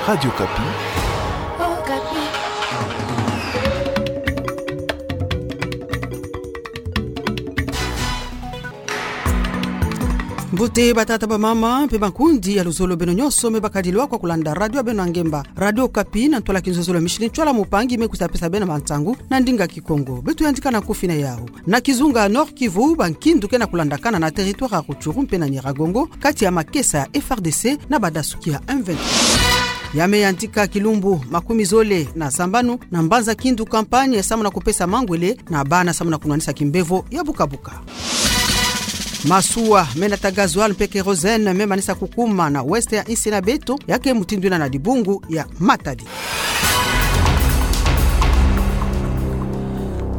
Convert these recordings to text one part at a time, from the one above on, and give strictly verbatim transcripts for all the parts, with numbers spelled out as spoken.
Radio Okapi. Mbote batata, bamama mpe bankundi ya luzolo, beno nyonso me bakadilwa kwa kulanda radio ya beno ya ngemba, Radio Okapi, na ntwala kinzozolo ya mishini, ntwala mupangi me kwiza pesa beno mantangu na ndinga Kikongo. Beto yandika na nkufi na yawu. Na kizunga Nord-Kivu, bankindu ke na kulandakana na territoire ya Rutshuru mpe na Nyiragongo, kati ya makesa ya F A R D C na badasuki ya M vingt-trois. Ya me yandika kilumbu makumi zole na sambanu na mbanza Kindu Campagne, samu na kupesa mangwele na bana samu na kunwanisa kimbevo ya buka-buka. Masuwa me nata gasoil mpe kérosène me manisa kukuma na ouest ya insi na beto, ya ke mutindu yina na dibungu ya Matadi.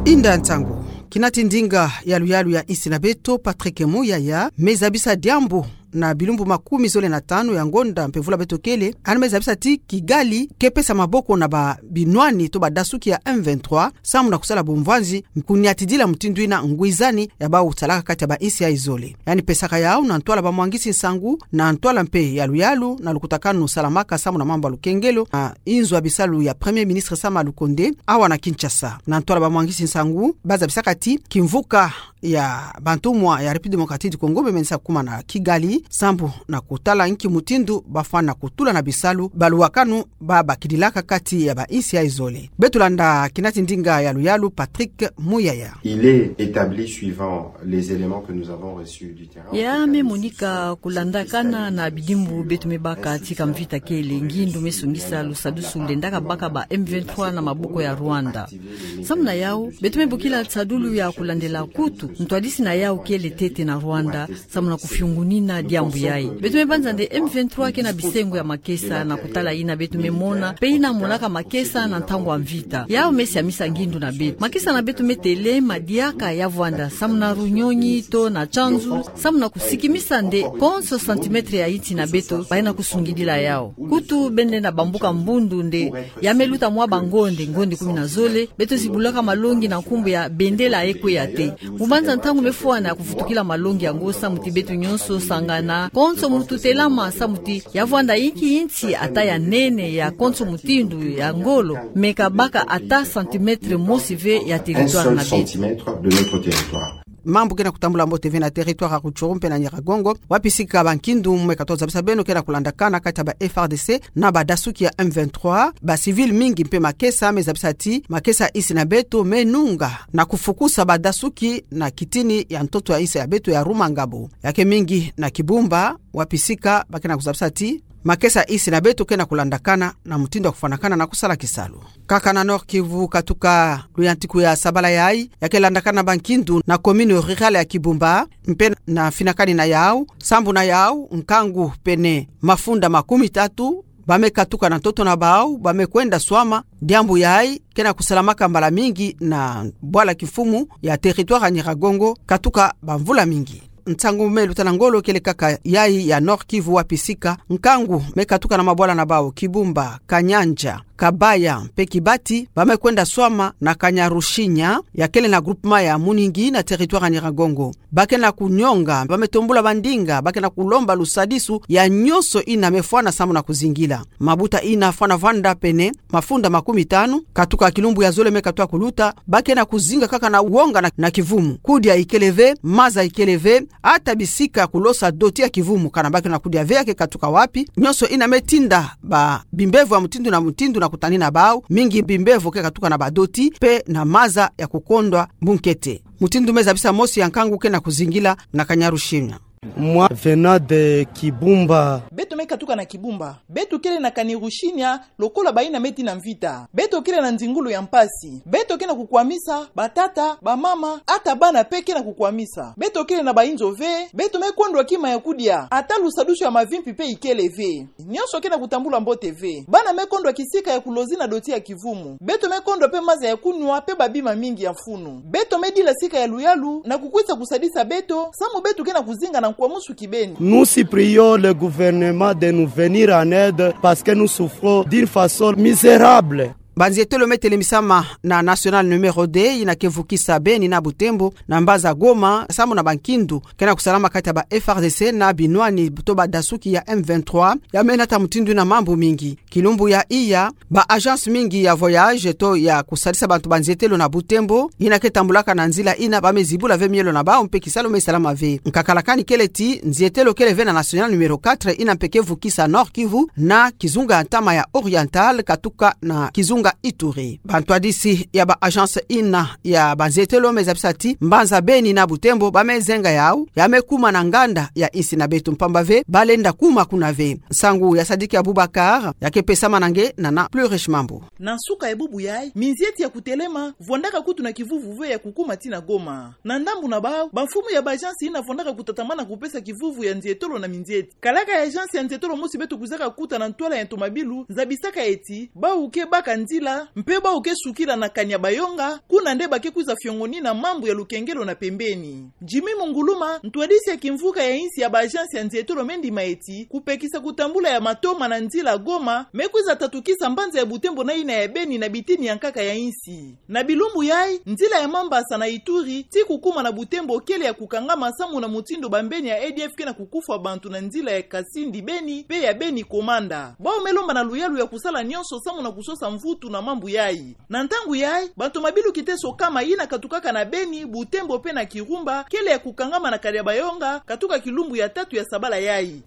Inda nsangu. Kinati ndinga ya luyalu ya insi na beto, Patrick Muyaya, me zabisa diambu na bilumbu makumi zole na tanu ya ngonda mpe vula beto kele, yandi me zabisa ti Kigali ke pesa maboko na babinwani to badasuki ya M vingt-trois, samu na kusala bumvwanzi, kuniatidila mutindu yina ngwizani ya bawu salaka kati ya bainsi yayi zole. Yandi pesaka yawu na ntwala bamwangisi nsangu, na ntwala mpe ya luyalu na lukutakanu salamaka samu na mambu ya lukengelo na inzo ya bisalu ya Premier Ministre Sama Lukonde, awa na Kinshasa. Na ntwala bamwangisi nsangu, ba zabisaka ti kimvuka ya bantumwa ya République Démocratique du Congo me menisa kukuma na Kigali, sambu na kutala nki mutindu bafwana kutula na bisalu, baluwakanu babakidilaka kati ya bainsi yayi zole. Beto landa kinati ndinga ya luyalu, Patrick Muyaya. Il est établi, suivant les éléments que nous avons reçus du terrain, ya me monika kulandakana na bidimbu beto me baka tika mvita kele, ngindu me sungisa lusadusu lendaka baka ba M vingt-trois na maboko ya Rwanda. Samu na yawu, beto me bokila nsadulu ya kulandela, kutu ntwadisi na yawu kele ntete na Rwanda, samu na kufiungunina diambu yayi. Beto me banza nde M vingt-trois ke na bisengo ya makesa na kutala yina beto me mona, mpe yina monaka makesa na ntangu ya mvita. Yawu me siamisa ngindu na beto. Makesa na beto me telema diaka ya vwanda, samu na Runyonyi to na Tshanzu, samu na kusikimisa nde konso centimètre ya insi na beto, bayina kusungidila yawu. Kutu bende na bambuka mbundu nde ya me luta mwa bangonde, ngonde kumi na zole, beto zibulaka malongi na nkumbu ya bendela ekwe ya te. Mu banza ntangu me fwana ya kuvutukila malongi yango, samu ti beto nyonso sangana, konso mutu telama, samu ti ya vwanda inki insi ata ya nene, ya konso mutindu, ya ngolo, me ka baka ata centimètre mosi ve ya territoire na beto. Mambu ke na kutambula mbote ve na territoire ya Rutshuru mpe na Nyiragongo, wapi sika bankindu me katuka zabisa beno ke na kulandakana kati ya ba F A R D C na badasuki ya M vingt-trois, ba civil mingi mpe makesa me zabisa ti makesa insi na beto me nunga na kufukusa badasuki na kitini ya ntoto ya insi ya beto ya Rumangabo. Ya ke mingi na Kibumba, wapi sika ba ke na kuzabisa ti makesa insi na beto ke na kulandakana na mutindu ya kufwanakana na kusala kisalu. Kaka na Nord-Kivu, katuka luyantiku ya sabala yayi, ya ke landakana na bankindu na commune rurale ya Kibumba, mpe na finakani na yawu, sambu na yawu, nkangu pene mafunda makumi tatu ba me katuka na ntoto na bawu, ba me kwenda swama, diambu yayi ke na kusalamaka mbala mingi na bwala kimfumu ya territoire ya Nyiragongo, katuka bamvula mingi. Nsangu me luta na ngolo kele kaka yayi ya Nord-Kivu, wapi sika nkangu me katuka na mabwala na bawu Kibumba, Kanyanja, Kabaya mpe Kibati, ba me kwenda swama na Kanyarushinya, ya kele na groupement ya Muningi na territoire ya Nyiragongo. Ba ke na kunyonga, ba me tombula bandinga, ba ke na kulomba lusadisu ya nyonso yina me fwana samu na kuzingila. Mabuta yina fwana vwanda pene mafunda makumi tanu, katuka kilumbu ya zole me katuka kuluta, ba ke na kuzinga kaka na wonga na, na kivumu. Kudia ikele ve, maza ikele ve, ata bisika kulosa doti ya kivumu kana ba ke na kudia ve, ya ke katuka wapi. Nyonso yina me tinda ba bimbevo ya mutindu na mutindu na kutanina bawu, mingi bimbevo ke katuka na badoti mpe na maza ya kukondwa bunkete. Mutindu me zabisa mosi ya nkangu ke na kuzingila na Kanyarushinya. Moi, venant de Kibumba. Beto me katuka na Kibumba. Beto kele na Kanyarushinya lokola bayina me tii na mvita. Beto kele na nzingulu ya mpasi. Beto ke na kukwamisa, batata, bamama, ata bana mpe ke na kukwamisa. Beto kele na bainzo ve, beto me kondwa kima ya kudia, ata lusadusu ya mavimpi mpe ikele ve. Nyonso ke na kutambula mbote ve. Bana me kondwa kisika ya kulozi na doti ya kivumu. Beto me kondwa mpe maza ya kunwa mpe babima mingi ya mfunu. Beto me dila sika ya luyalu na kukwisa kusadisa beto, samu beto ke na kuzinga na nkwamusu kibeni. Nous supplions le gouvernement de nous venir en aide parce que nous souffrons d'une façon misérable. Banzietelo me telemisama na National numéro deux, yina ke vukisa Beni na Butembo, na mbanza Goma, samu na bankindu ke na kusalama kati ya ba F A R D C na binwani to badasuki ya M vingt-trois, ya me nata mutindu yina mambu mingi. Kilumbu ya iya, ba agence mingi ya voyage to ya kusalisa bantu banzietelo na Butembo, yina ke tambulaka na nzila yina, ba me zibula ve mielo na bau mpe kisalu me salama ve. Nkakala kani kele ti, nzietelo kele ve na National numéro quatre, yina mpe ke vukisa Nord-Kivu na kizunga ya ntama ya Oriental, katuka na kizunga Ituri. Bantwadisi ya ba agence yina ya banzietelo me zabisa ti mbanza Beni na Butembo ba me zenga yau, ya me kuma na nganda ya insi na beto, mpamba ve ba lenda kuma kuna ve. Nsangu ya Sadiki Abubakar, ya ke pesama na nge na na Plus Riche Mambu. Na nsuka ya bubu yayi, minzieti ya kutelema vwandaka kutu na kivuvu ve ya kukuma ti na Goma. Na ndambu na bau, bamfumu ya ba agence yina vwandaka kutatamana kupesa kivuvu ya nzietolo na minzieti. Kalaka ya agence ya nzietolo mosi beto kwizaka kuta na ntwala ya ntomabilu, zabisaka ye ti bau ke baka nzila, mpe bau ke sukila na Kanyabayonga, kuna nde ba ke kwiza fiongonina mambu ya lukengelo na pembeni. Jimmy Munguluma, ntwadisi ya kimvuka ya insi ya ba agence ya nzietolo, me ndima ye ti kupekisa kutambula ya matoma na nzila Goma me kwiza tatukisa mbanza ya Butembo na yina ya Beni na bitini ya nkaka ya insi. Na bilumbu yayi, nzila ya Mambasa na Ituri, ti kukuma na Butembo, kele ya kukangama samu na mutindu bambeni ya A D F ke na kukufwa bantu na nzila ya Kasindi Beni mpe ya Beni Komanda. Bau me lomba na luyalu ya kusala nyonso samu na kusosa mvutu na mambu yayi. Na ntangu yayi, bantomabilu kiteso kama yina katukaka na Beni, Butembo mpe na Kirumba, kele ya kukangama na Kanyabayonga, katuka kilumbu ya tatu ya sabala yayi.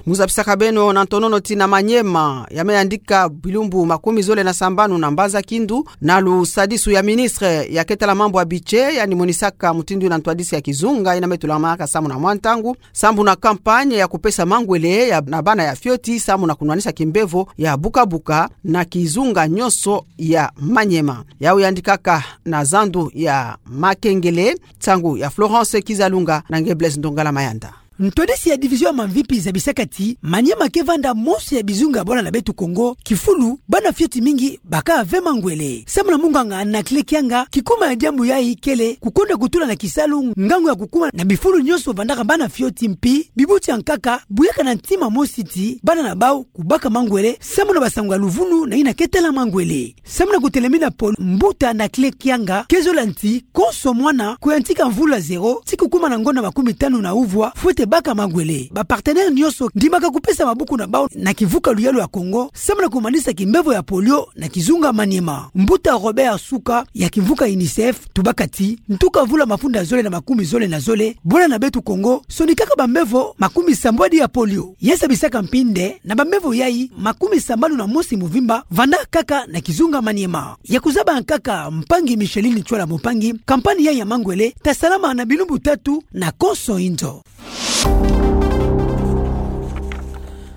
Mu zabisaka beno na ntonono ti na Maniema, ya me yandika bilumbu makumi zole na sambanu na mbanza Kindu, na lusadisu ya ministre ya ke tala mambu ya budget, yandi monisaka mutindu yina ntwadisi ya kizunga yina me tulamanaka samu na mwa ntangu, sambu na campagne ya kupesa mangwele ya, na bana ya fioti, samu na kunwanisa kimbevo ya buka-buka na kizunga nyonso ya Maniema. Yau yandikaka na zandu ya Makengele, nsangu ya Florence Kizalunga na nge Blaise Ndongala Mayanda. Ntwadisi ya division ya mamvipi zabisaka ti Maniema ke vanda mosi ya bizunga ya bwala na beto Kongo kifulu bana fioti mingi baka ve mangwele. Samu na munganga Anaclet Kianga, kikuma ya diambu yayi kele kukonda kutula na kisalu ngangu ya kukuma na bifulu nyonso vandaka bana fioti, mpi bibuti ya nkaka buyaka na ntima mosi ti bana na bau kubaka mangwele, samu na basango ya luvunu na yina ke tala mangwele. Samu na kutelemina polio, mbuta Anaclet Kianga ke zola ti konso mwana kuyantika mvula zero ti kukuma na ngonda makumi tanu na uvwa fwete baka mangwele. Ba partenaire nyonso ndimaka kupesa mabuku na bau na kivuka luyalu ya Kongo, samu na kumanisa kimbevo ya polio na kizunga Maniema. Mbuta Robert Suka ya kimvuka UNICEF tubaka ti ntuka mvula mafunda zole na makumi zole na zole, bwala na beto Kongo sonikaka bambevo makumi sambwadi ya polio. Ya zabisaka mpi nde na bambevo yayi, makumi sambanu na mosi muvimba vanda kaka na kizunga Maniema. Ya kuzaba nkaka mpangi Micheline Tchwala Mumpangi, campagne yayi ya mangwele ta salama na bilumbu tatu na konso inzo.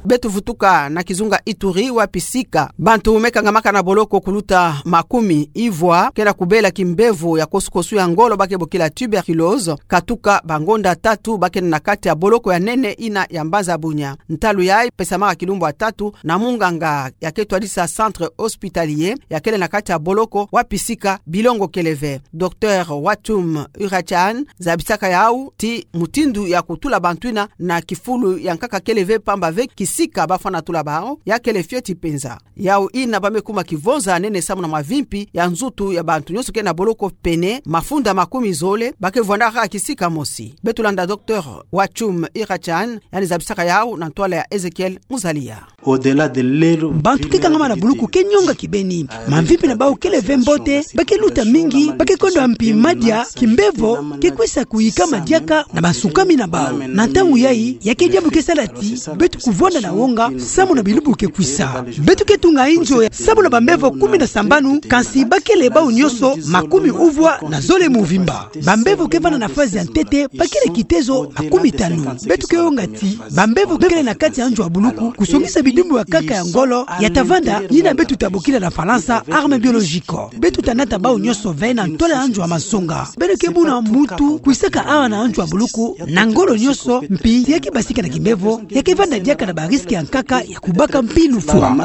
Beto vutuka na kizunga Ituri, wapi sika bantu me kangamaka na boloko kuluta makumi ivwa ke na kubela kimbevo ya kosukosu ya ngolo ba ke bokila tuberculose, katuka bangonda tatu ba ke na kati ya boloko ya nene yina ya mbanza Bunia. Ntalu yayi pesamaka kilumbu ya tatu na munganga ya ke twadisa centre hospitalier ya kele na kati ya boloko wapi sika bilongo kele ve. Docteur Watum Urachan zabisaka yau ti mutindu ya kutula bantu yina na kifulu ya nkaka kele ve, pamba ve kisika ba fwana tula bau ya kele fioti penza. Yau yina ba me kuma kivonza nene samu na mavimpi ya nzutu ya bantu nyonso ke na boloko pene mafunda makumi zole ba ke vwandaka kisika mosi. Beto landa Docteur Watum Urachan, yandi zabisaka yau na ntwala ya Ezekiel Muzalia. Bantu ke kangama na buluku ke nyonga kibeni. Mamvimpi na bau kele ve mbote, ba ke luta mingi, ba ke konda mpi madia, kimbevo ke kwisa kuyikama diaka na bansukami na bau. Na ntangu yayi, ya ke diambu ke sala ti beto kuvwanda na wonga samu na bilumbu ke kwisa. Beto ke tunga inzo ya samu na bambevo kumi na sambanu, kansi ba kele bau nyonso makumi uvwa na zole muvimba. Bambevo ke vanda na phase ya ntete ba kele kitezo makumi tanu. Beto ke wonga ti bambevo kele na kati ya nzo ya buluku kusongisa bidimbu ya nkaka ya ngolo ya ta vanda, yina beto ta bokila na Falansa arme biologique. Beto ta nata bau nyonso ve na ntwala ya nzo ya mansonga. Beno ke mona muntu kwisaka awa na nzo ya buluku na ngolo nyonso, mpi ya ke basika na kimbevo, ya ke vanda diaka na ba risque ya nkaka ya kubaka mpi lufwa.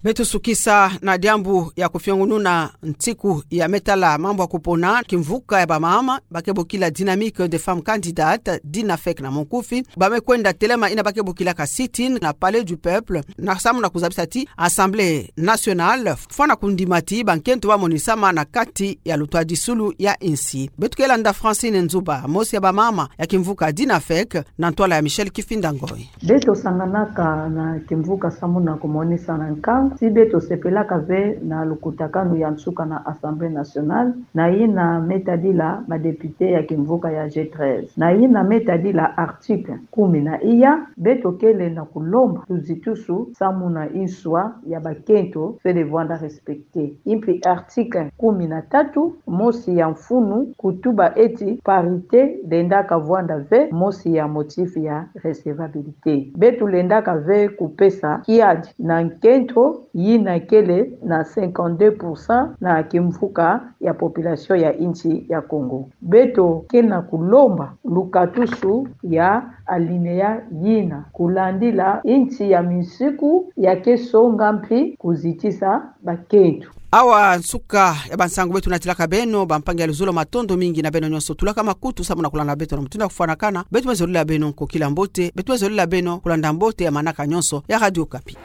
Beto sukisa na diambu ya kufiongununa nsiku ya me tala mambu ya kupona kimvuka ya bamama, ba ke bokila Dynamique des Femmes Candidates, Dynafec na monkufi, ba me kwenda telema ina ba ke bokilaka sit-in na Palais du Peuple, na samu na kuzabisa ti Assemblée Nationale fwana kundima ti bankento ba monisama na kati ya lutwadisulu ya insi. Beto ke landa Francine Nzuba, mosi ya bamama ya kimvuka Dynafec, na ntwala ya Michel Kifinda Ngoi. Beto sanganaka na kimvuka samu na kumonisa na nkangu ti beto sepelaka ve na lukutakanu ya nsuka na Assemblée Nationale, na yina me tadila ba députés ya kimvuka ya G treize. Na yina me tadila article kumi na iya, beto kele na kulomba tuzitusu samu na inswa ya bakento fwete vwanda respecté. Impi article kumi na tatu, mosi ya mfunu, kutuba eti parité lendaka vwanda ve mosi ya motif ya recevabilité. Beto lendaka ve kupesa kiadi na nkento yina kele na cinquante-deux pour cent na kimvuka ya population ya insi ya Congo. Beto ke na kulomba lukatusu ya alinéa yina, kulandila insi ya minsiku ya ke songa mpi kuzitisa bakento. Awa nsuka ya bansangu beto natilaka beno, bampangi ya luzolo, matondo mingi na beno nyonso tulaka makutu samu na kulanda beto na mutindu ya kufwanakana. Beto me zolila beno nkokila mbote, beto me zolila beno kulanda mbote ya manaka nyonso ya Radio Okapi.